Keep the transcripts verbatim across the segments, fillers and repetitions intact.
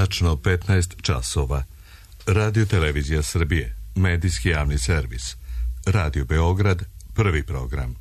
Tačno petnaest časova. Radio Televizija Srbije, medijski javni servis. Radio Beograd, prvi program.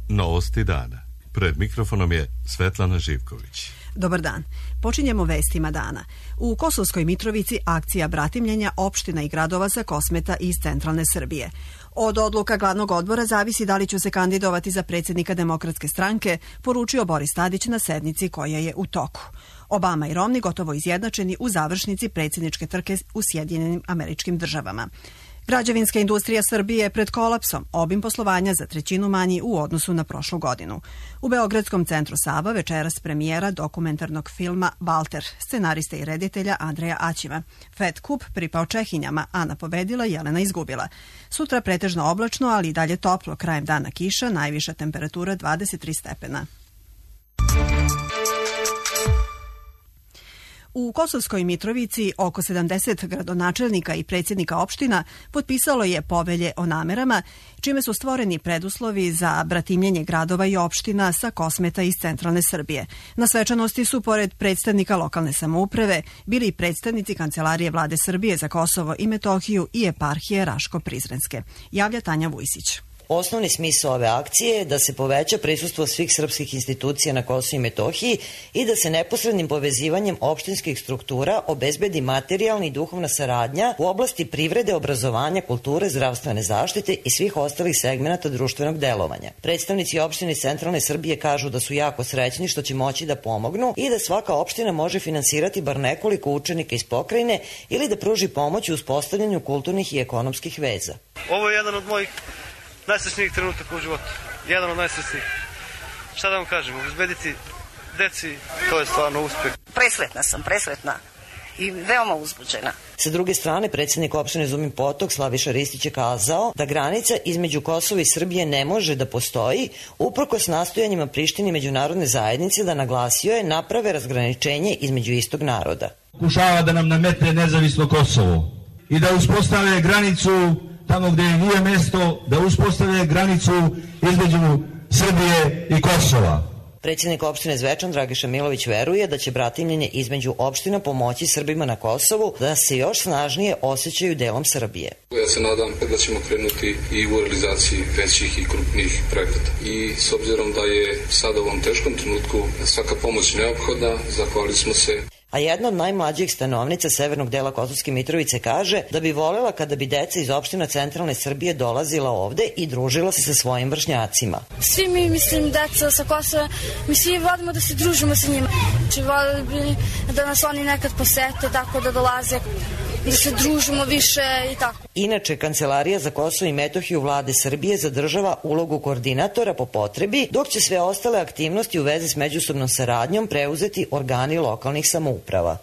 Novosti dana. Pred mikrofonom je Svetlana Živković. Dobar dan. Počinjemo vestima dana. U Kosovskoj Mitrovici akcija bratimljenja opština i gradova sa Kosmeta iz centralne Srbije. Od odluka glavnog odbora zavisi da li će se kandidovati za predsjednika Demokratske stranke, poručio Boris Tadić na sednici koja je u toku. Obama i Romney gotovo izjednačeni u završnici predsjedničke trke u Sjedinjenim Američkim Državama. Građevinska industrija Srbije je pred kolapsom, obim poslovanja za trećinu manji u odnosu na prošlu godinu. U Beogradskom centru Sava večeras premijera dokumentarnog filma Valter, scenariste i reditelja Andreja Aćima. Fed Kup pripao Čehinjama, Ana pobedila, Jelena izgubila. Sutra pretežno oblačno, ali i dalje toplo, krajem dana kiša, najviša temperatura dvadeset tri stepena. U Kosovskoj Mitrovici oko sedamdeset gradonačelnika i predsjednika opština potpisalo je povelje o namerama, čime su stvoreni preduslovi za bratimljenje gradova i opština sa Kosmeta iz centralne Srbije. Na svečanosti su, pored predstavnika lokalne samouprave, bili i predstavnici Kancelarije Vlade Srbije za Kosovo i Metohiju i eparhije Raško-Prizrenske. Javlja Tanja Vujsić. Osnovni smisao ove akcije je da se poveća prisustvo svih srpskih institucija na Kosovu i Metohiji i da se neposrednim povezivanjem opštinskih struktura obezbedi materijalna i duhovna saradnja u oblasti privrede, obrazovanja, kulture, zdravstvene zaštite i svih ostalih segmenata društvenog delovanja. Predstavnici opštine centralne Srbije kažu da su jako srećni što će moći da pomognu i da svaka opština može finansirati bar nekoliko učenika iz pokrajine ili da pruži pomoć u uspostavljanju kulturnih i ekonomskih veza. Ovo je jedan od mojih najsrećnijih trenutaka u životu. Jedan od najsrećnijih. Šta da vam kažem, obezbediti deci, to je stvarno uspjeh. Presretna sam, presretna i veoma uzbuđena. Sa druge strane, predsjednik opštine Zumin Potok Slaviša Ristić je kazao da granica između Kosova i Srbije ne može da postoji, uprkos nastojanjima Prištine i međunarodne zajednice, da, naglasio je, naprave razgraničenje između istog naroda. Pokušava da nam nametne nezavisno Kosovo i da uspostave granicu tamo gdje nije mjesto, da uspostavlja granicu između Srbije i Kosova. Predsjednik opštine Zvečan Dragiša Milović veruje da će bratimljenje između opština pomoći Srbima na Kosovu da se još snažnije osjećaju delom Srbije. Ja se nadam da ćemo krenuti i u realizaciji većih i krupnijih projekata. I s obzirom da je sada u ovom teškom trenutku svaka pomoć neophodna, zahvalili smo se. A jedna od najmlađih stanovnica severnog dela Kosovske Mitrovice kaže da bi voljela kada bi deca iz opština centralne Srbije dolazila ovde i družila se sa svojim vršnjacima. Svi mi, mislim, deca sa Kosova, mi svi vodimo da se družimo sa njima. Znači, voljeli bi da nas oni nekad posete, tako da dolaze, da se družimo više i tako. Inače, Kancelarija za Kosovo i Metohiju Vlade Srbije zadržava ulogu koordinatora po potrebi, dok će sve ostale aktivnosti u vezi s međusobnom saradnjom preuzeti organi lokalnih samouprava.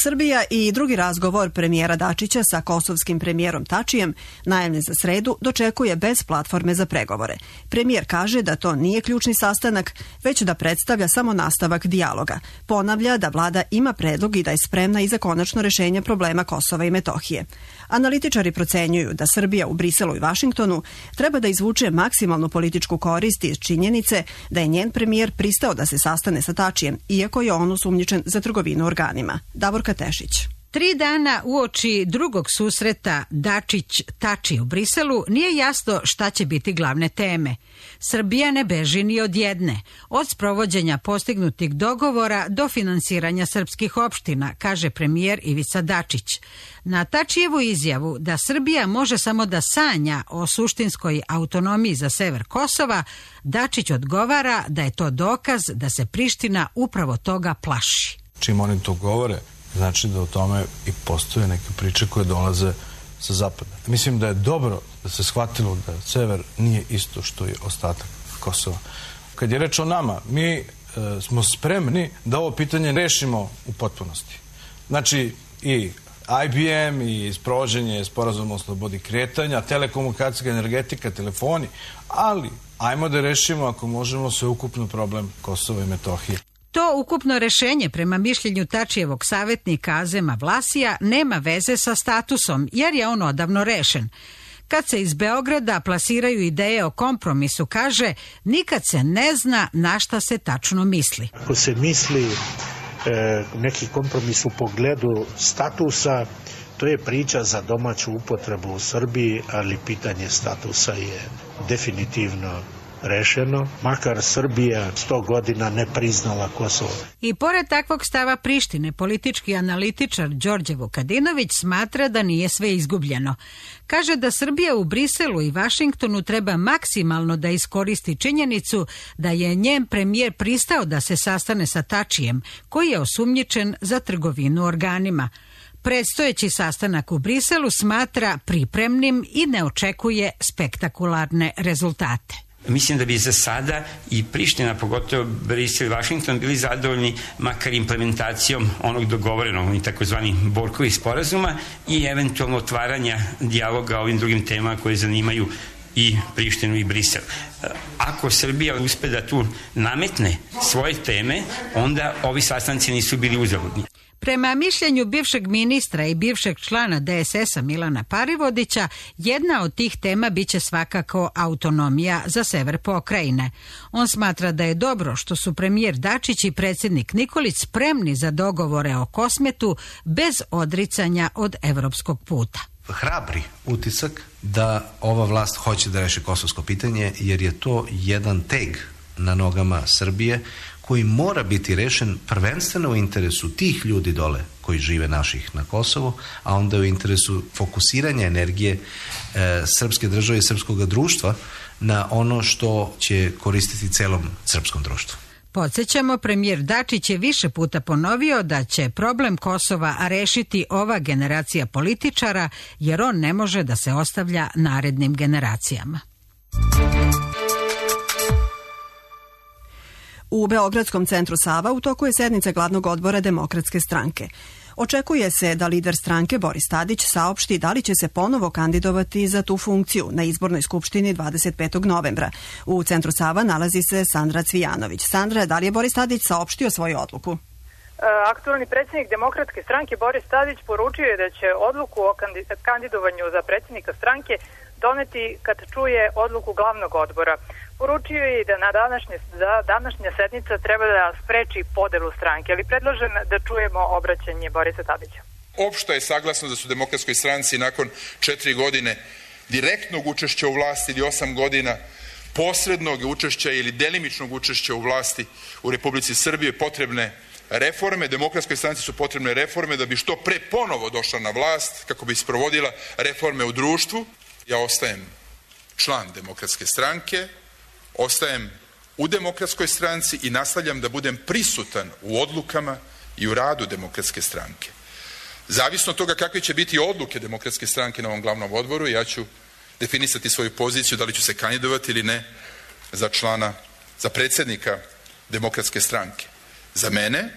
Srbija i drugi razgovor premijera Dačića sa kosovskim premijerom Tačijem, najavljen za sredu, dočekuje bez platforme za pregovore. Premijer kaže da to nije ključni sastanak, već da predstavlja samo nastavak dijaloga. Ponavlja da vlada ima predlog i da je spremna i za konačno rešenje problema Kosova i Metohije. Analitičari procenjuju da Srbija u Briselu i Vašingtonu treba da izvuče maksimalnu političku korist iz činjenice da je njen premijer pristao da se sastane sa Tačijem, iako je on osumnjičen za trgovinu organima. Davorka Tešić. Tri dana uoči drugog susreta Dačić-Tači u Briselu nije jasno šta će biti glavne teme. Srbija ne beži ni od jedne, od sprovođenja postignutih dogovora do finansiranja srpskih opština, kaže premijer Ivica Dačić. Na Tačijevu izjavu da Srbija može samo da sanja o suštinskoj autonomiji za sever Kosova, Dačić odgovara da je to dokaz da se Priština upravo toga plaši. Čim oni to govore, znači da o tome i postoje neke priče koje dolaze sa zapada. Mislim da je dobro da se shvatilo da sever nije isto što je ostatak Kosova. Kad je reč o nama, mi e, smo spremni da ovo pitanje rešimo u potpunosti. Znači i I B M i sprovođenje sporazuma o slobodi kretanja, telekomunikacijska, energetika, telefoni, ali ajmo da rešimo ako možemo sveukupno problem Kosova i Metohije. To ukupno rešenje, prema mišljenju Tačijevog savjetnika Azema Vlasija, nema veze sa statusom, jer je on odavno rešen. Kad se iz Beograda plasiraju ideje o kompromisu, kaže, nikad se ne zna na šta se tačno misli. Ako se misli e, neki kompromis u pogledu statusa, to je priča za domaću upotrebu u Srbiji, ali pitanje statusa je definitivno rešeno, makar Srbija sto godina ne priznala Kosovo. I pored takvog stava Prištine, politički analitičar Đorđe Vukadinović smatra da nije sve izgubljeno. Kaže da Srbija u Briselu i Vašingtonu treba maksimalno da iskoristi činjenicu da je njen premijer pristao da se sastane sa Tačijem, koji je osumnjičen za trgovinu organima. Predstojeći sastanak u Briselu smatra pripremnim i ne očekuje spektakularne rezultate. Mislim da bi za sada i Priština, pogotovo Brisel i Vašington, bili zadovoljni makar implementacijom onog dogovorenog i takozvani Borkovih sporazuma i eventualno otvaranja dijaloga o ovim drugim temama koje zanimaju i Prištinu i Brisel. Ako Srbija uspe da tu nametne svoje teme, onda ovi sastanci nisu bili uzaludni. Prema mišljenju bivšeg ministra i bivšeg člana D S S-a Milana Parivodića, jedna od tih tema biće svakako autonomija za sever pokrajine. On smatra da je dobro što su premijer Dačić i predsjednik Nikolić spremni za dogovore o Kosmetu bez odricanja od evropskog puta. Hrabri utisak da ova vlast hoće da reši kosovsko pitanje, jer je to jedan teg na nogama Srbije koji mora biti rešen prvenstveno u interesu tih ljudi dole koji žive naših na Kosovu, a onda u interesu fokusiranja energije e, srpske države i srpskog društva na ono što će koristiti celom srpskom društvu. Podsjećamo, premijer Dačić je više puta ponovio da će problem Kosova rešiti ova generacija političara, jer on ne može da se ostavlja narednim generacijama. U Beogradskom centru Sava u toku je sednica glavnog odbora Demokratske stranke. Očekuje se da lider stranke Boris Tadić saopšti da li će se ponovo kandidovati za tu funkciju na izbornoj skupštini dvadeset petog novembra. U centru Sava nalazi se Sandra Cvijanović. Sandra, da li je Boris Tadić saopštio svoju odluku? Aktualni predsjednik Demokratske stranke Boris Tadić poručio je da će odluku o kandidovanju za predsjednika stranke doneti kad čuje odluku glavnog odbora. Poručio je i da na današnje, da današnja sednica treba da spreči podelu stranke, ali predlažem da čujemo obraćanje Borisa Tadića. Opšto je saglasno da su Demokratskoj stranci nakon četiri godine direktnog učešća u vlasti ili osam godina posrednog učešća ili delimičnog učešća u vlasti u Republici Srbije potrebne reforme. Demokratskoj stranci su potrebne reforme da bi što pre ponovo došla na vlast, kako bi sprovodila reforme u društvu. Ja ostajem član Demokratske stranke, ostajem u Demokratskoj stranci i nastavljam da budem prisutan u odlukama i u radu Demokratske stranke. Zavisno od toga kakve će biti odluke Demokratske stranke na ovom glavnom odboru, ja ću definisati svoju poziciju, da li ću se kandidovati ili ne za člana, za predsjednika Demokratske stranke. Za mene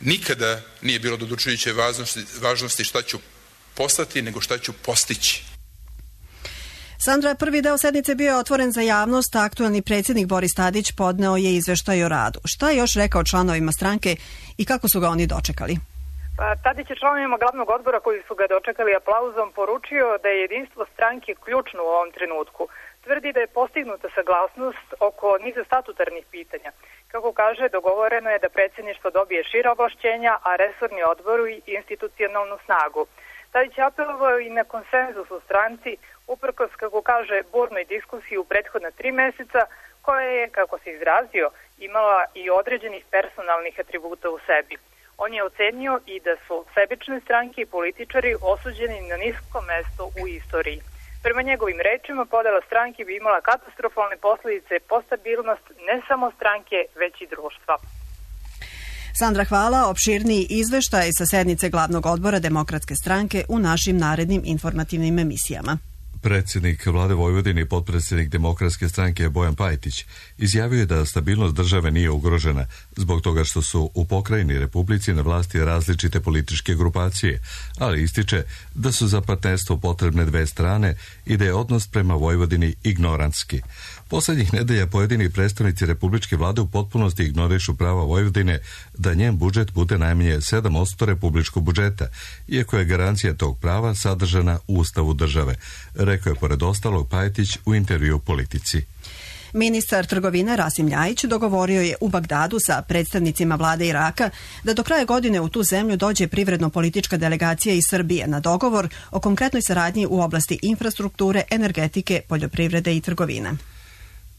nikada nije bilo do odlučujuće važnosti, važnosti šta ću postati, nego šta ću postići. Sandra, prvi deo sednice bio je otvoren za javnost, a aktualni predsjednik Boris Tadić podneo je izveštaj o radu. Šta je još rekao članovima stranke i kako su ga oni dočekali? Pa, Tadić je članovima glavnog odbora koji su ga dočekali aplauzom poručio da je jedinstvo stranke ključno u ovom trenutku. Tvrdi da je postignuta saglasnost oko niza statutarnih pitanja. Kako kaže, dogovoreno je da predsjedništvo dobije šira ovlašćenja, a resorni odboru i institucionalnu snagu. Tadić je apelovao i na konsenzus u stranci, uprkos, kako kaže, burnoj diskusiji u prethodna tri meseca, koja je, kako se izrazio, imala i određenih personalnih atributa u sebi. On je ocenio i da su sebične stranke i političari osuđeni na nisko mesto u istoriji. Prema njegovim rečima, podela stranke bi imala katastrofalne posljedice po stabilnost ne samo stranke, već i društva. Sandra, hvala. Opširniji izveštaj sa sednice glavnog odbora Demokratske stranke u našim narednim informativnim emisijama. Predsjednik vlade Vojvodine i potpredsjednik Demokratske stranke Bojan Pajtić izjavio je da stabilnost države nije ugrožena zbog toga što su u pokrajini Republici na vlasti različite političke grupacije, ali ističe da su za partnerstvo potrebne dve strane i da je odnos prema Vojvodini ignorantski. Poslednjih nedelja pojedini predstavnici republičke vlade u potpunosti ignorišu prava Vojvodine da njen budžet bude najmanje sedam posto republičkog budžeta, iako je garancija tog prava sadržana u Ustavu države. rekao je pored ostalog Pajtić u intervju u Politici. Ministar trgovine Rasim Ljajić dogovorio je u Bagdadu sa predstavnicima vlade Iraka da do kraja godine u tu zemlju dođe privredno-politička delegacija iz Srbije na dogovor o konkretnoj saradnji u oblasti infrastrukture, energetike, poljoprivrede i trgovine.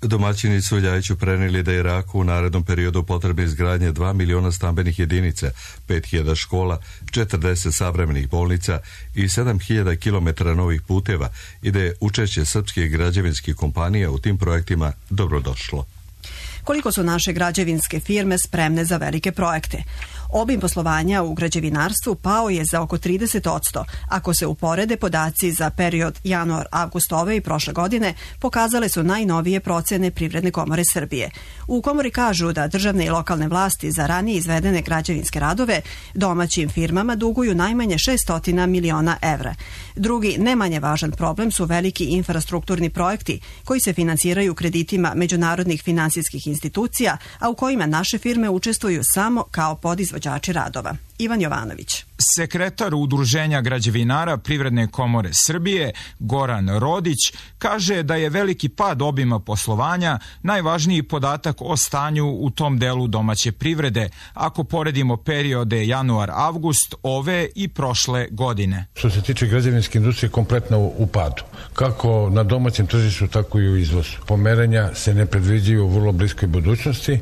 Domaćini su Ljajiću prenijeli da Iraku u narednom periodu potrebne izgradnje dva miliona stambenih jedinica, pet hiljada škola, četrdeset savremenih bolnica i sedam hiljada kilometara novih puteva i da je učešće srpskih građevinskih kompanija u tim projektima dobrodošlo. Koliko su naše građevinske firme spremne za velike projekte? Obim poslovanja u građevinarstvu pao je za oko trideset posto. Ako se uporede podaci za period januar-avgust ove i prošle godine, pokazale su najnovije procene Privredne komore Srbije. U komori kažu da državne i lokalne vlasti za ranije izvedene građevinske radove domaćim firmama duguju najmanje šessto miliona evra. Drugi, ne manje važan problem su veliki infrastrukturni projekti koji se finansiraju kreditima međunarodnih finansijskih institucija, a u kojima naše firme učestvuju samo kao podizvođači radova. Ivan Jovanović. Sekretar Udruženja građevinara Privredne komore Srbije, Goran Rodić, kaže da je veliki pad obima poslovanja najvažniji podatak o stanju u tom delu domaće privrede, ako poredimo periode januar-avgust ove i prošle godine. Što se tiče građevinske industrije, kompletno u padu. Kako na domaćem tržištu, tako i u izvozu. Pomeranja se ne predviđaju u vrlo bliskoj budućnosti.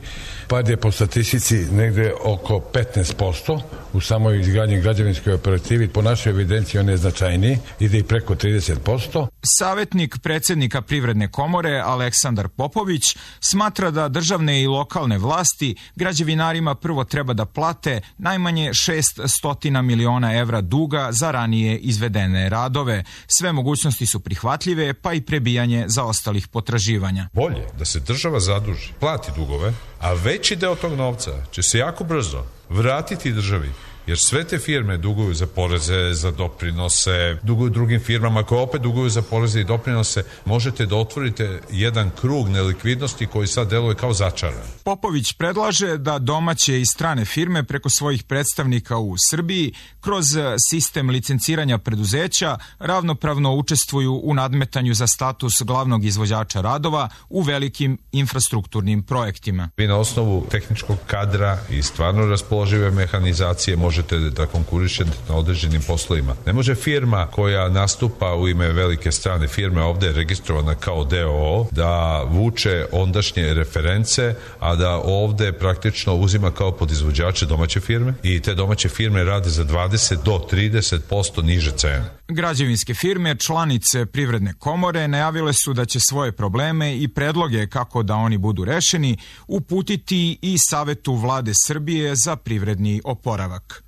Pad je po statistici negde oko petnaest posto. U samoj izgradnji građevinskoj operativi, po našoj evidenciji on je značajniji, ide i preko trideset posto. Savjetnik predsjednika Privredne komore Aleksandar Popović smatra da državne i lokalne vlasti građevinarima prvo treba da plate najmanje šeststo miliona evra duga za ranije izvedene radove. Sve mogućnosti su prihvatljive, pa i prebijanje zaostalih potraživanja. Bolje da se država zaduži, plati dugove, a veći deo tog novca će se jako brzo vratiti državi, jer sve te firme duguju za poreze, za doprinose, duguju drugim firmama koje opet duguju za poreze i doprinose. Možete da otvorite jedan krug nelikvidnosti koji sad deluje kao začaran. Popović predlaže da domaće i strane firme preko svojih predstavnika u Srbiji kroz sistem licenciranja preduzeća ravnopravno učestvuju u nadmetanju za status glavnog izvođača radova u velikim infrastrukturnim projektima. Vi na osnovu tehničkog kadra i stvarno raspoložive mehanizacije možete da konkurišete na određenim poslovima. Ne može firma koja nastupa u ime velike strane firme, ovde je registrovana kao D O O, da vuče ondašnje reference, a da ovde praktično uzima kao podizvođače domaće firme i te domaće firme rade za dvadeset do trideset posto niže cene. Građevinske firme, članice Privredne komore, najavile su da će svoje probleme i predloge kako da oni budu rešeni uputiti i Savetu vlade Srbije za privredni oporavak.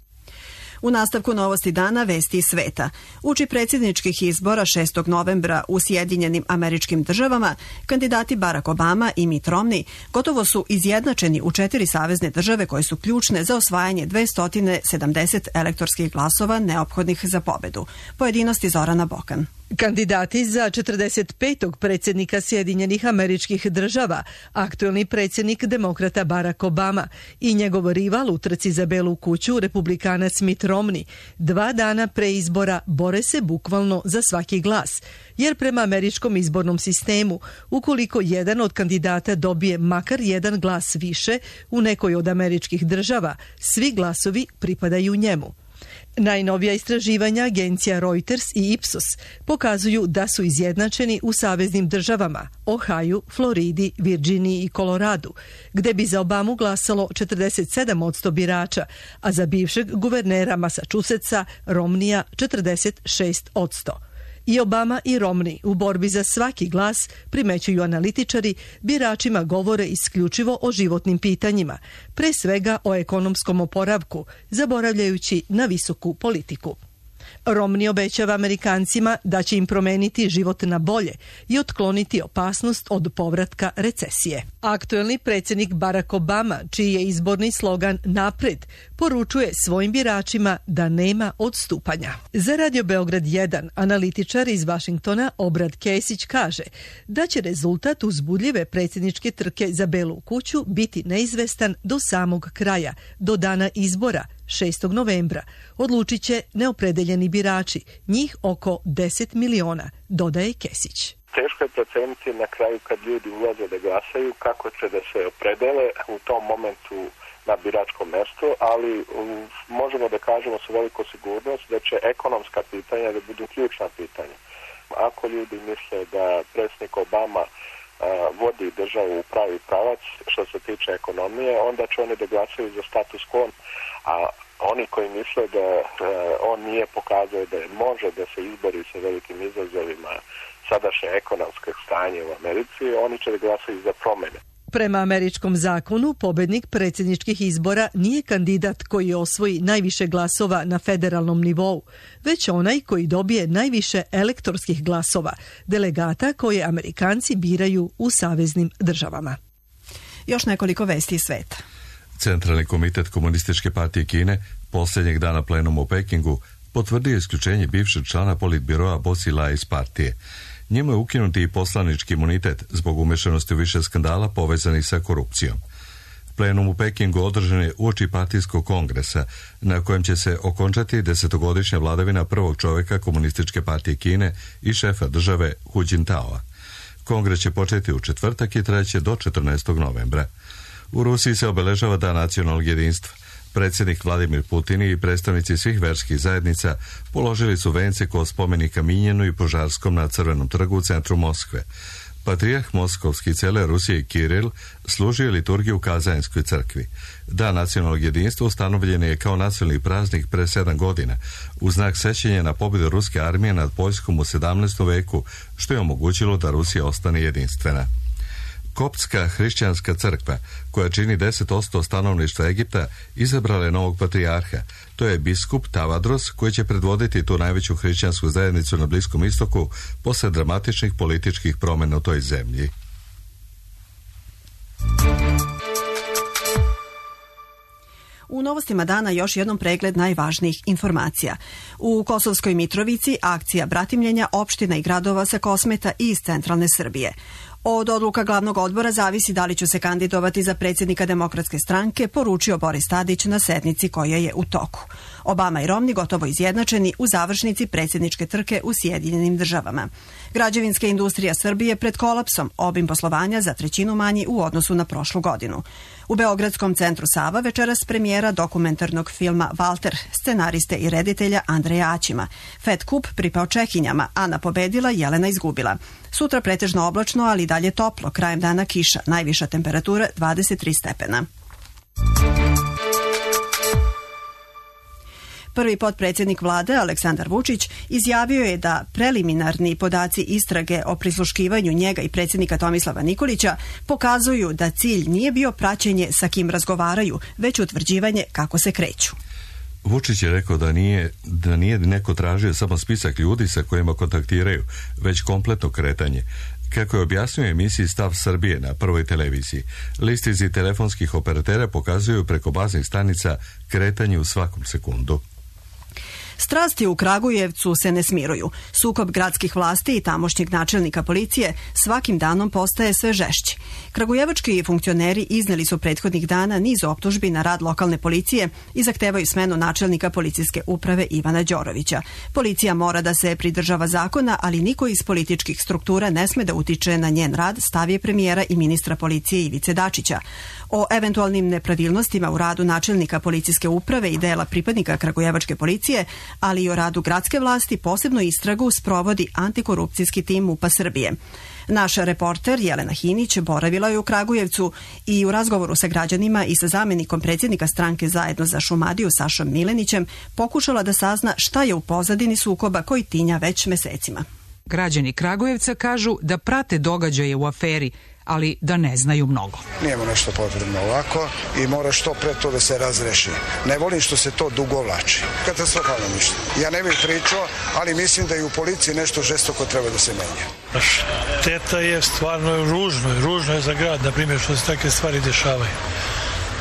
U nastavku novosti dana vesti iz sveta. Uči predsjedničkih izbora šestog novembra u Sjedinjenim Američkim Državama, kandidati Barack Obama i Mitt Romney gotovo su izjednačeni u četiri savezne države koje su ključne za osvajanje dvesta sedamdeset elektorskih glasova neophodnih za pobedu. Pojedinosti Zorana Bokan. Kandidati za četrdeset petog predsjednika Sjedinjenih Američkih Država, aktuelni predsjednik demokrata Barack Obama i njegov rival u trci za Belu kuću, republikanac Mitt Romney, dva dana pre izbora bore se bukvalno za svaki glas, jer prema američkom izbornom sistemu, ukoliko jedan od kandidata dobije makar jedan glas više u nekoj od američkih država, svi glasovi pripadaju njemu. Najnovija istraživanja agencija Reuters i Ipsos pokazuju da su izjednačeni u saveznim državama Ohaju, Floridi, Virginiji i Koloradu, gde bi za Obamu glasalo četrdeset sedam posto birača, a za bivšeg guvernera Massachusettsa Romneya četrdeset šest posto. I Obama i Romney u borbi za svaki glas, primećuju analitičari, biračima govore isključivo o životnim pitanjima, pre svega o ekonomskom oporavku, zaboravljajući na visoku politiku. Romney obećava Amerikancima da će im promeniti život na bolje i otkloniti opasnost od povratka recesije. Aktuelni predsjednik Barack Obama, čiji je izborni slogan Napred, poručuje svojim biračima da nema odstupanja. Za Radio Beograd jedan analitičar iz Vašingtona Obrad Kesić kaže da će rezultat uzbudljive predsjedničke trke za Belu kuću biti neizvestan do samog kraja, do dana izbora, šestog novembra. Odlučit će neopredeljeni birači, njih oko deset miliona, dodaje Kesić. Teško je proceniti na kraju kad ljudi ulaze da glasaju kako će da se opredele u tom momentu na biračkom mestu, ali um, možemo da kažemo sa velikom sigurnost da će ekonomska pitanja da budu ključna pitanja. Ako ljudi misle da predsjednik Obama uh, vodi državu u pravi pravac što se tiče ekonomije, onda će oni da glasaju za status quo, a oni koji misle da uh, on nije pokazao da može da se izbori sa velikim izazovima sadašnje ekonomske stanje u Americi, oni će da glasaju za promene. Prema američkom zakonu, pobednik predsjedničkih izbora nije kandidat koji osvoji najviše glasova na federalnom nivou, već onaj koji dobije najviše elektorskih glasova, delegata koje Amerikanci biraju u saveznim državama. Još nekoliko vesti iz sveta. Centralni komitet Komunističke partije Kine posljednjeg dana plenuma u Pekingu potvrdio isključenje bivšeg člana politbiroa Bo Xilai iz partije. Njemu je ukinuti i poslanički imunitet zbog umešanosti u više skandala povezanih sa korupcijom. Plenum u Pekingu održan je uoči partijskog kongresa, na kojem će se okončati desetogodišnja vladavina prvog čovjeka Komunističke partije Kine i šefa države Hu Jintaoa. Kongres će početi u četvrtak i traće do četrnaestog novembra. U Rusiji se obeležava Dan nacionalnog jedinstva. Predsjednik Vladimir Putin i predstavnici svih verskih zajednica položili su vence kod spomenika Minjenu i Požarskom na Crvenom trgu u centru Moskve. Patrijah Moskovski cele Rusije Kiril služio je liturgiju u Kazanskoj crkvi. Dan nacionalnog jedinstva ustanovljen je kao nacionalni praznik pre sedam godina, u znak sećanja na pobjedu ruske armije nad Poljskom u sedamnaestom veku, što je omogućilo da Rusija ostane jedinstvena. Koptska hrišćanska crkva, koja čini deset posto stanovništva Egipta, izabrala je novog patrijarha. To je biskup Tavadros, koji će predvoditi tu najveću hrišćansku zajednicu na Bliskom istoku posle dramatičnih političkih promjena u toj zemlji. U novostima dana još jednom pregled najvažnijih informacija. U Kosovskoj Mitrovici akcija bratimljenja opština i gradova sa Kosmeta i iz centralne Srbije. Od odluka glavnog odbora zavisi da li će se kandidovati za predsjednika Demokratske stranke, poručio Boris Tadić na sednici koja je u toku. Obama i Romni gotovo izjednačeni u završnici predsjedničke trke u Sjedinjenim državama. Građevinska industrija Srbije pred kolapsom, obim poslovanja za trećinu manji u odnosu na prošlu godinu. U Beogradskom centru Sava večeras premijera dokumentarnog filma Valter, scenariste i reditelja Andreja Aćima. Fed kup pripao Čehinjama, Ana pobedila, Jelena izgubila. Sutra pretežno oblačno, ali dalje toplo, krajem dana kiša, najviša temperatura dvadeset tri stepena. Prvi potpredsjednik vlade, Aleksandar Vučić, izjavio je da preliminarni podaci istrage o prisluškivanju njega i predsjednika Tomislava Nikolića pokazuju da cilj nije bio praćenje sa kim razgovaraju, već utvrđivanje kako se kreću. Vučić je rekao da nije, da nije neko tražio samo spisak ljudi sa kojima kontaktiraju, već kompletno kretanje. Kako je objasnio emisiji Stav Srbije na Prvoj televiziji, listizi telefonskih operatera pokazuju preko baznih stanica kretanje u svakom sekundu. Strasti u Kragujevcu se ne smiruju. Sukob gradskih vlasti i tamošnjeg načelnika policije svakim danom postaje sve žešći. Kragujevački funkcioneri izneli su prethodnih dana niz optužbi na rad lokalne policije i zahtevaju smenu načelnika policijske uprave Ivana Đorovića. Policija mora da se pridržava zakona, ali niko iz političkih struktura ne sme da utiče na njen rad, stav je premijera i ministra policije Ivice Dačića. O eventualnim nepravilnostima u radu načelnika policijske uprave i dela pripadnika Kragujevačke policije, ali i o radu gradske vlasti posebno istragu sprovodi antikorupcijski tim MUP-a Srbije. Naš reporter Jelena Hinić boravila je u Kragujevcu i u razgovoru sa građanima i sa zamjenikom predsjednika stranke Zajedno za Šumadiju Sašom Milenićem pokušala da sazna šta je u pozadini sukoba koji tinja već mesecima. Građani Kragujevca kažu da prate događaje u aferi, ali da ne znaju mnogo. Nijemo nešto potrebno ovako i mora što pre to da se razreši. Ne volim što se to dugo vlači. Katastrofalno ništa. Ja ne bih pričao, ali mislim da i u policiji nešto žestoko treba da se menja. Šteta je stvarno ružno. Ružno je za grad, na primjer, što se takve stvari dešavaju.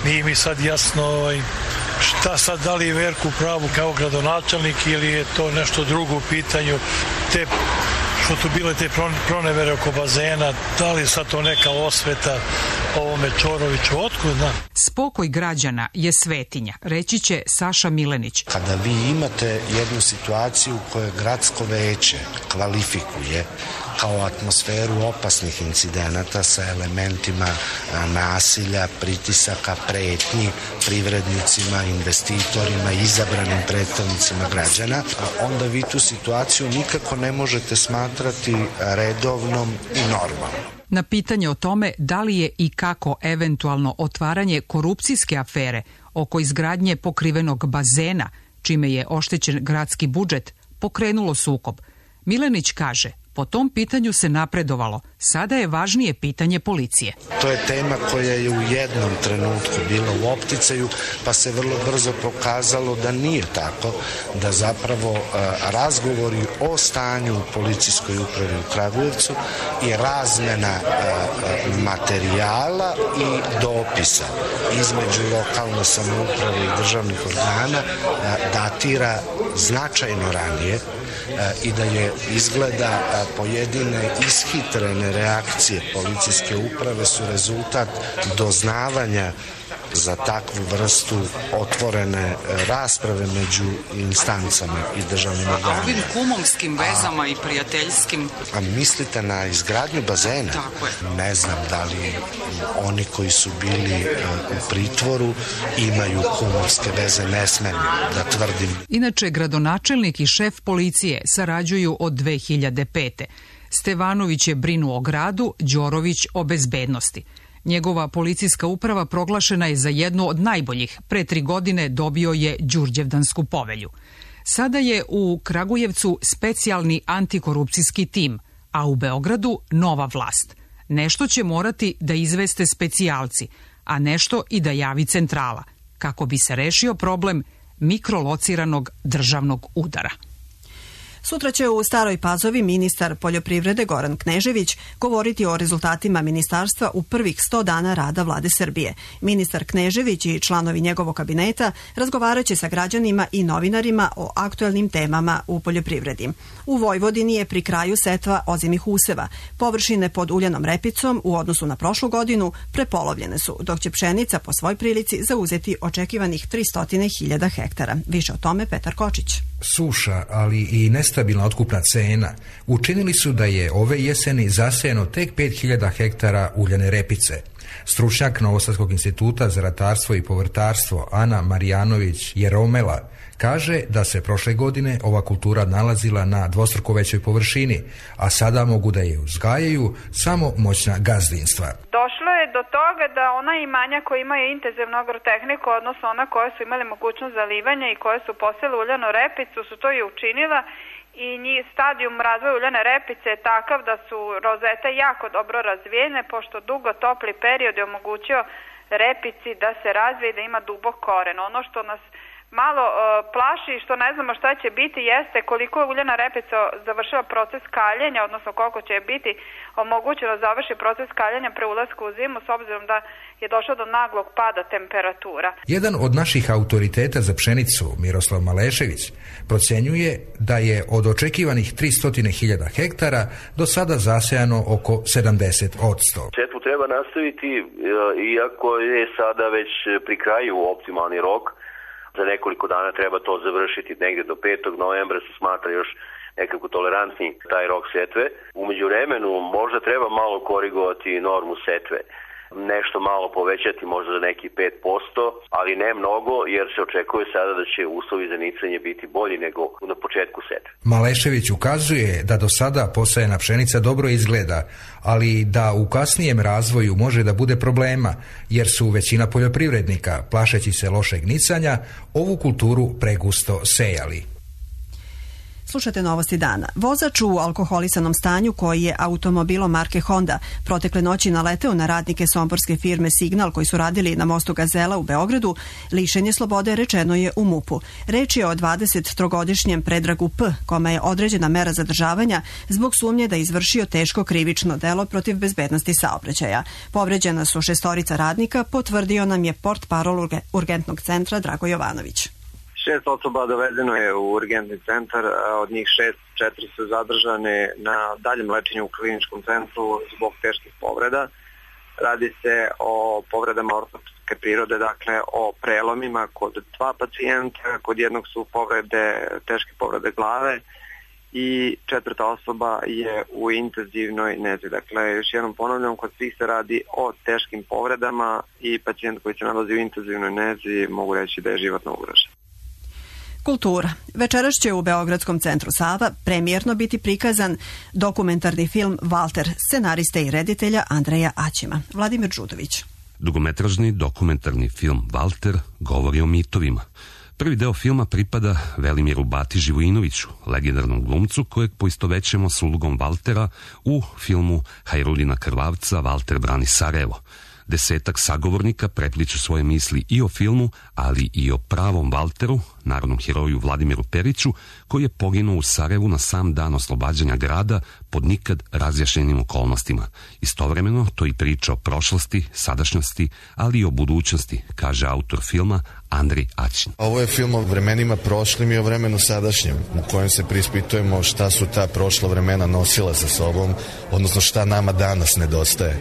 Nije mi sad jasno ovaj, Da sad da li je Verku pravu kao gradonačelnik ili je to nešto drugo u pitanju, te što tu bile te pronevere oko bazena, da li je sad to neka osveta ovome Čoroviću, otkud znam? Spokoj građana je svetinja, reći će Saša Milenić. Kada vi imate jednu situaciju u kojoj gradsko veće kvalifikuje kao atmosferu opasnih incidenata sa elementima nasilja, pritisaka, pretnji privrednicima, investitorima, izabranim predstavnicima građana, onda vi tu situaciju nikako ne možete smatrati redovnom i normalnom. Na pitanje o tome da li je i kako eventualno otvaranje korupcijske afere oko izgradnje pokrivenog bazena, čime je oštećen gradski budžet, pokrenulo sukob, Milenić kaže: po tom pitanju se napredovalo, sada je važnije pitanje policije. To je tema koja je u jednom trenutku bila u opticaju, pa se vrlo brzo pokazalo da nije tako, da zapravo razgovori o stanju u policijskoj upravi u Kragujevcu i razmena materijala i dopisa između lokalne samouprave i državnih organa datira značajno ranije i da je izgleda pojedine ishitrene reakcije policijske uprave su rezultat doznavanja za takvu vrstu otvorene rasprave među instancama i državnim organima. A ovim kumovskim vezama a, i prijateljskim... A mislite na izgradnju bazena? Tako je. Ne znam da li oni koji su bili u pritvoru imaju kumovske veze, ne smem da tvrdim. Inače, gradonačelnik i šef policije sarađuju od dve hiljade pete. Stevanović je brinuo o gradu, Đorović o bezbednosti. Njegova policijska uprava proglašena je za jednu od najboljih. Pre tri godine dobio je Đurđevdansku povelju. Sada je u Kragujevcu specijalni antikorupcijski tim, a u Beogradu nova vlast. Nešto će morati da izveste specijalci, a nešto i da javi centrala, kako bi se rešio problem mikrolociranog državnog udara. Sutra će u Staroj Pazovi ministar poljoprivrede Goran Knežević govoriti o rezultatima ministarstva u prvih sto dana rada vlade Srbije. Ministar Knežević i članovi njegovog kabineta razgovaraće sa građanima i novinarima o aktuelnim temama u poljoprivredi. U Vojvodini je pri kraju setva ozimih useva. Površine pod uljanom repicom u odnosu na prošlu godinu prepolovljene su, dok će pšenica po svoj prilici zauzeti očekivanih tristo hiljada hektara. Više o tome Petar Kočić. Suša, ali i nestabilna otkupna cena učinili su da je ove jeseni zasejano tek pet hiljada hektara uljane repice. Stručnjak Novosadskog instituta za ratarstvo i povrtarstvo Ana Marijanović Jeromela kaže da se prošle godine ova kultura nalazila na dvostruko većoj površini, a sada mogu da je uzgajaju samo moćna gazdinstva. Došlo je do toga da ona imanja koja imaju intenzivnu agrotehniku, odnosno ona koja su imali mogućnost zalivanja i koje su posele uljanu repicu, su to i učinila i njih stadijum razvoja uljane repice je takav da su rozete jako dobro razvijene, pošto dugo topli period je omogućio repici da se razvije i da ima dubok koren. Ono što nas malo uh, plaši i što ne znamo šta će biti jeste koliko je uljana repica završila proces kaljenja, odnosno koliko će biti omogućeno završi proces kaljenja pre ulaska u zimu, s obzirom da je došlo do naglog pada temperatura. Jedan od naših autoriteta za pšenicu, Miroslav Malešević, procenjuje da je od očekivanih tristo hiljada hektara do sada zasejano oko sedamdeset posto. Setvu treba nastaviti, iako je sada već pri kraju optimalni rok. Za nekoliko dana treba to završiti, negdje do petog novembra se smatra još nekako tolerantni taj rok setve. U međuvremenu možda treba malo korigovati normu setve. Nešto malo povećati, možda za neki pet posto, ali ne mnogo, jer se očekuje sada da će uslovi za nicanje biti bolji nego na početku setve. Malešević ukazuje da do sada posejana pšenica dobro izgleda, ali da u kasnijem razvoju može da bude problema, jer su većina poljoprivrednika, plašeći se lošeg nicanja, ovu kulturu pregusto sejali. Slušate novosti dana. Vozač u alkoholisanom stanju koji je automobilom marke Honda protekle noći naleteo na radnike somborske firme Signal koji su radili na mostu Gazela u Beogradu, lišen je slobode, rečeno je u MUP-u. Reč je o dvadesettrogodišnjem Predragu P, kome je određena mera zadržavanja zbog sumnje da je izvršio teško krivično delo protiv bezbednosti saobraćaja. Povređena su šestorica radnika, potvrdio nam je portparol urgentnog centra Drago Jovanović. Šest osoba dovezeno je u urgentni centar, od njih šest, četiri su zadržane na daljem lečenju u kliničkom centru zbog teških povreda. Radi se o povredama ortopedske prirode, dakle o prelomima kod dva pacijenta, kod jednog su povrede, teške povrede glave i četvrta osoba je u intenzivnoj nezi. Dakle, još jednom ponavljam, kod svih se radi o teškim povredama i pacijent koji se nalazi u intenzivnoj nezi mogu reći da je životno ugrožen. Kultura. Večeras će u Beogradskom centru Sava premijerno biti prikazan dokumentarni film Valter, scenariste i reditelja Andreja Aćima. Vladimir Đudović. Dugometražni dokumentarni film Valter govori o mitovima. Prvi deo filma pripada Velimiru Bati Živojinoviću, legendarnom glumcu kojeg poistovećemo s ulogom Valtera u filmu Hajrudina Krvavca Valter brani Sarajevo. Desetak sagovornika prepliču svoje misli i o filmu, ali i o pravom Valteru, narodnom heroju Vladimiru Periću, koji je poginuo u Sarajevu na sam dan oslobađanja grada pod nikad razjašnjenim okolnostima. Istovremeno to i priča o prošlosti, sadašnjosti, ali i o budućnosti, kaže autor filma Andrej Aćin. Ovo je film o vremenima prošlim i o vremenu sadašnjem, u kojem se preispitujemo šta su ta prošla vremena nosila sa sobom, odnosno šta nama danas nedostaje.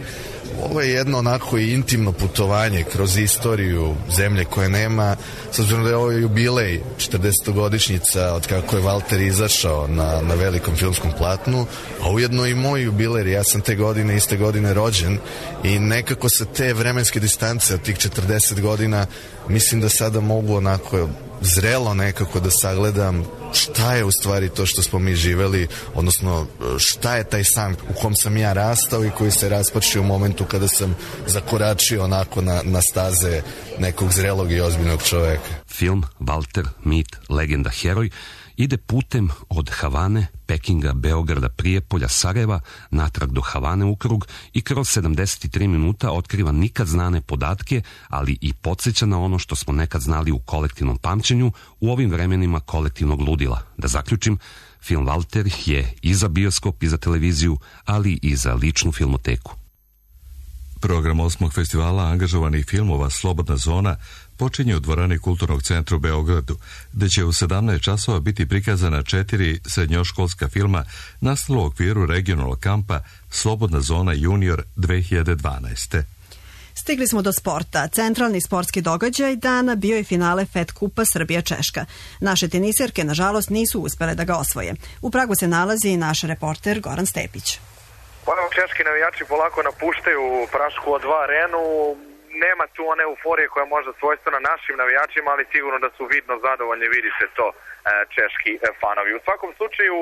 Ovo je jedno onako i intimno putovanje kroz istoriju zemlje koje nema, s obzirom da je ovo jubilej, četrdesetogodišnjica od kako je Valter izašao na, na velikom filmskom platnu, a ujedno i moj jubiler, ja sam te godine, iste godine rođen i nekako sa te vremenske distance od tih četrdeset godina mislim da sada mogu onako zrelo nekako da sagledam šta je u stvari to što smo mi živeli, odnosno šta je taj san u kom sam ja rastao i koji se raspačio u momentu kada sam zakoračio onako na, na staze nekog zrelog i ozbiljnog čoveka. Film Valter, mit, legenda, heroj ide putem od Havane, Pekinga, Beograda, Prijepolja, Sarajeva, natrag do Havane u krug i kroz sedamdeset tri minuta otkriva nikad znane podatke, ali i podsjeća na ono što smo nekad znali u kolektivnom pamćenju u ovim vremenima kolektivnog ludila. Da zaključim, film Valter je i za bioskop i za televiziju, ali i za ličnu filmoteku. Program osmog festivala angažovanih filmova Slobodna zona počinje u dvorani Kulturnog centra u Beogradu, gde će u sedamnaest časova biti prikazana četiri srednjoškolska filma nastala u okviru regionalnog kampa Slobodna zona junior dve hiljade dvanaeste. Stigli smo do sporta. Centralni sportski događaj dana bio je finale Fed kupa Srbija-Češka. Naše teniserke, nažalost, nisu uspele da ga osvoje. U Pragu se nalazi i naš reporter Goran Stepić. Ono, češki navijači polako napuštaju Prašku o dva arenu. Nema tu one euforije koja je možda svojstvena našim navijačima, ali sigurno da su vidno zadovoljni, vidi se to češki fanovi. U svakom slučaju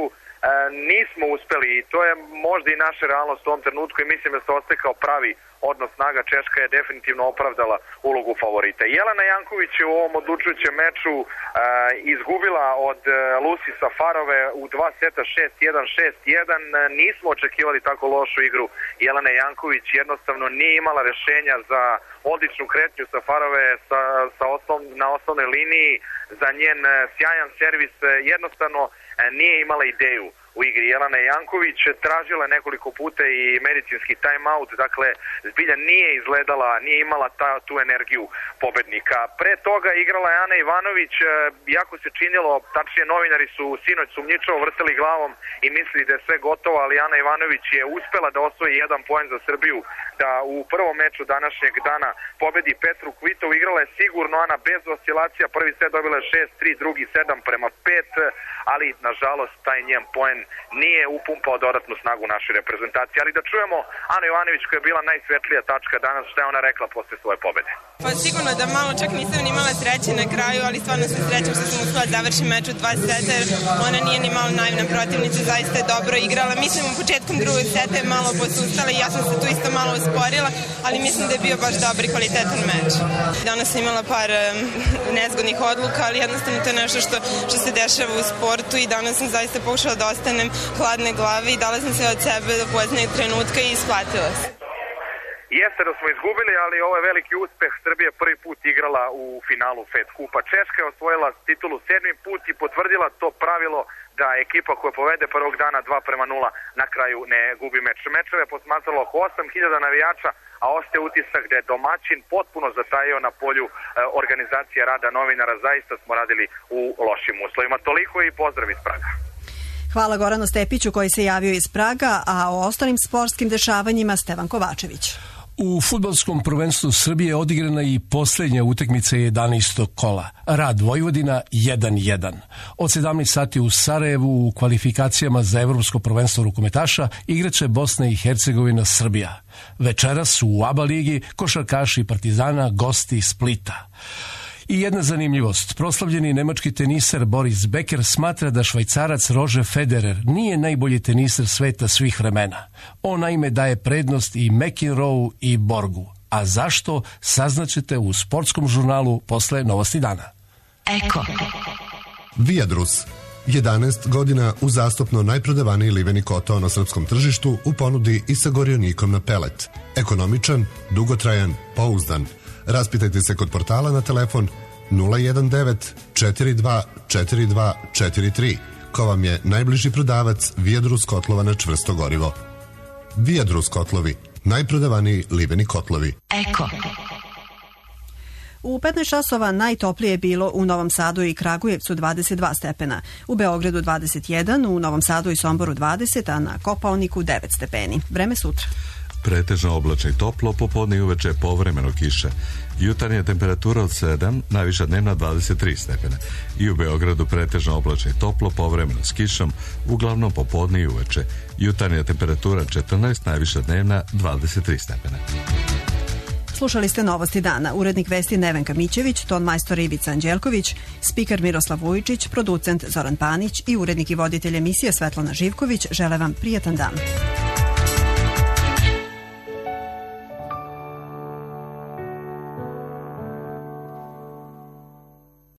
nismo uspeli i to je možda i naša realnost u ovom trenutku i mislim da se ostekao pravi odnos snaga. Češka je definitivno opravdala ulogu favorita. Jelena Janković je u ovom odlučujućem meču uh, izgubila od uh, Lucy Safarove u dva seta šest jedan, šest jedan. Nismo očekivali tako lošu igru. Jelena Janković jednostavno nije imala rešenja za odličnu kretnju Safarove sa, sa oslov, na osnovnoj liniji, za njen uh, sjajan servis. Uh, jednostavno uh, nije imala ideju u igri. Jelena Janković tražila nekoliko puta i medicinski time-out, dakle zbilja nije izgledala, nije imala ta, tu energiju pobednika. Pre toga igrala je Ana Ivanović, jako se činilo, tačnije novinari su sinoć sumnjičavo vrteli glavom i mislili da je sve gotovo, ali Ana Ivanović je uspela da osvoji jedan poen za Srbiju, da u prvom meču današnjeg dana pobedi Petru Kvitov. Igrala je sigurno Ana bez oscilacija, prvi set dobila je šest tri, drugi sedam prema pet, ali nažalost taj njen poen nije upumpao dodatnu snagu našoj reprezentaciji. Ali da čujemo Anu Jovanović koja je bila najsvetlija tačka danas, šta je ona rekla posle svoje pobede. Pa sigurno da malo čak nisam ni imala sreće na kraju, ali stvarno sam srećom što sam uspela završiti meč u dva seta, jer ona nije ni malo naivna protivnica, zaista je dobro igrala. Mislim u početkom drugog seta je malo posustala i ja sam se tu isto malo usporila, ali mislim da je bio baš dobar i kvalitetan meč. Danas sam imala par um, nezgodnih odluka, ali jednostavno to je nešto što, što se dešava u sportu i danas sam zaista pokušala da ostanem hladne glave i dala sam se od sebe do poznijeg trenutka i isplatila se. Jeste da smo izgubili, ali ovo je veliki uspeh. Srbija prvi put igrala u finalu Fed Kupa. Češka je osvojila titulu sedmi put i potvrdila to pravilo da ekipa koja povede prvog dana dva prema nula na kraju ne gubi meč. Mečeve je posmatralo oko osam hiljada navijača, a ostaje utisak da je domaćin potpuno zatajio na polju e, organizacije rada novinara. Zaista smo radili u lošim uslovima. Toliko i pozdrav iz Praga. Hvala Goranu Stepiću koji se javio iz Praga, a o ostalim sportskim dešavanjima Stevan Kovačević. U fudbalskom prvenstvu Srbije odigrana i posljednja utakmica jedanaestog kola. Rad Vojvodina jedan jedan. Od sedamnaest sati u Sarajevu u kvalifikacijama za evropsko prvenstvo rukometaša igraće Bosna i Hercegovina Srbija. Večeras u ABA ligi košarkaši Partizana gosti Splita. I jedna zanimljivost. Proslavljeni nemački teniser Boris Becker smatra da Švajcarac Roger Federer nije najbolji teniser sveta svih vremena. On naime daje prednost i McEnroe i Borgu. A zašto, saznaćete u sportskom žurnalu posle Novosti dana. Eko. Viadrus. jedanaest godina uzastopno najprodavaniji liveni kotao na srpskom tržištu u ponudi i sa gorionikom na pelet. Ekonomičan, dugotrajan, pouzdan. Raspitajte se kod portala na telefon nula jedan devet četiri dva četiri dva četiri tri, ko vam je najbliži prodavac Viadrus kotlova na čvrsto gorivo. Viadrus kotlovi, najprodavaniji liveni kotlovi. Eko. U petnaest časova najtoplije je bilo u Novom Sadu i Kragujevcu dvadeset dva stepena, u Beogradu dvadeset jedan, u Novom Sadu i Somboru dvadeset, a na Kopaoniku devet stepeni. Vreme sutra. Pretežno oblačno i toplo, popodne i uveče povremeno kiše. Jutarnja temperatura od sedam, najviša dnevna dvadeset tri stepena. I u Beogradu pretežno oblačno i toplo, povremeno s kišom, uglavnom popodne i uveče. Jutarnja temperatura četrnaest, najviša dnevna dvadeset tri stepena. Slušali ste Novosti dana. Urednik vesti Nevenka Mićević, ton majstor Ivica Anđelković, spiker Miroslav Vujičić, producent Zoran Panić i urednik i voditelj emisije Svetlana Živković žele vam prijatan dan.